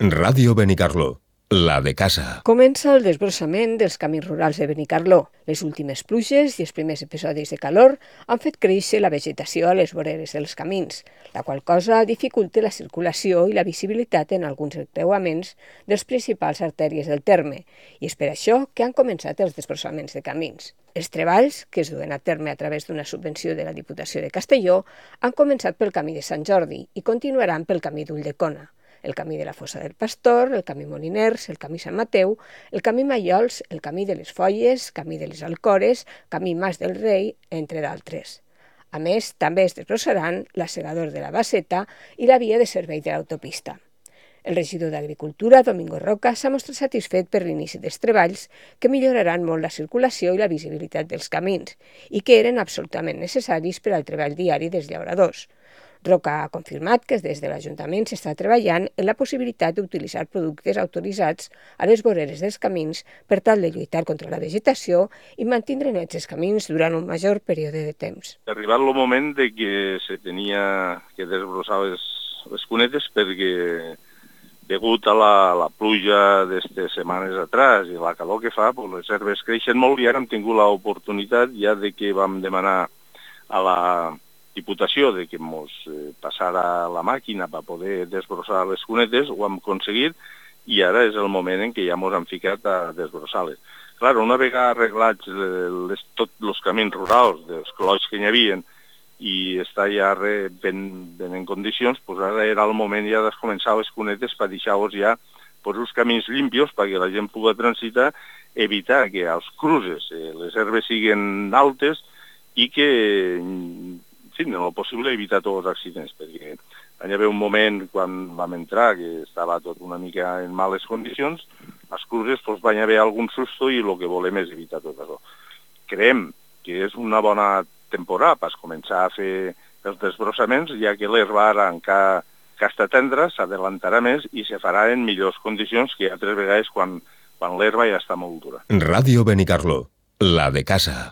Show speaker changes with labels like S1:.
S1: Ràdio Benicarló, la de casa.
S2: Comença el desbrossament dels camins rurals de Benicarló. Les últimes pluges i els primers episodis de calor han fet créixer la vegetació a les voreres dels camins, la qual cosa dificulta la circulació i la visibilitat en alguns encreuaments dels principals artèries del terme, i és per això que han començat els desbrossaments de camins. Els treballs, que es duen a terme a través d'una subvenció de la Diputació de Castelló, han començat pel camí de Sant Jordi i continuaran pel camí d'Ulldecona, el camí de la Fossa del Pastor, el camí Moliners, el camí Sant Mateu, el camí Mallols, el camí de les Folles, camí de les Alcores, camí Mas del Rei, entre d'altres. A més, també es desbrossaran l'assegador de la Basseta i la via de servei de l'autopista. El regidor d'Agricultura, Domingo Roca, s'ha mostrat satisfet per l'inici dels treballs que milloraran molt la circulació i la visibilitat dels camins i que eren absolutament necessaris per al treball diari dels llauradors. Roca ha confirmat que des de l'Ajuntament s'està treballant en la possibilitat d'utilitzar productes autoritzats a les voreres dels camins per tal de lluitar contra la vegetació i mantenir nets els camins durant un major període de temps.
S3: Ha arribat el moment de que se tenia que desbrossar les cunetes perquè degut a la pluja d'estes setmanes atrás i la calor que fa, les herbes creixen molt i ara hem tingut l'oportunitat ja de que vam demanar a la Diputació de que ens passara la màquina per poder desbrossar les cunetes, ho hem aconseguit i ara és el moment en què ja ens hem ficat a desbrossar-les. Clar, una vegada arreglats tots els camins rurals dels clots que hi havia i està ja ben en condicions, doncs ara era el moment ja de començar les cunetes per deixar-los ja els camins limpios perquè la gent pugui transitar, evitar que als cruces les herbes siguin altes i que en el possible evitar tots els accidents, perquè hi havia un moment quan vam entrar que estava tot una mica en males condicions, als cruces van haver algun susto i el que volem és evitar tot això. Creiem que és una bona temporada per començar a fer els desbrossaments, ja que l'herba ara encara que està tendra s'adelantarà més i se farà en millors condicions que altres vegades quan l'herba ja està molt dura.
S1: Ràdio Benicarló, la de casa.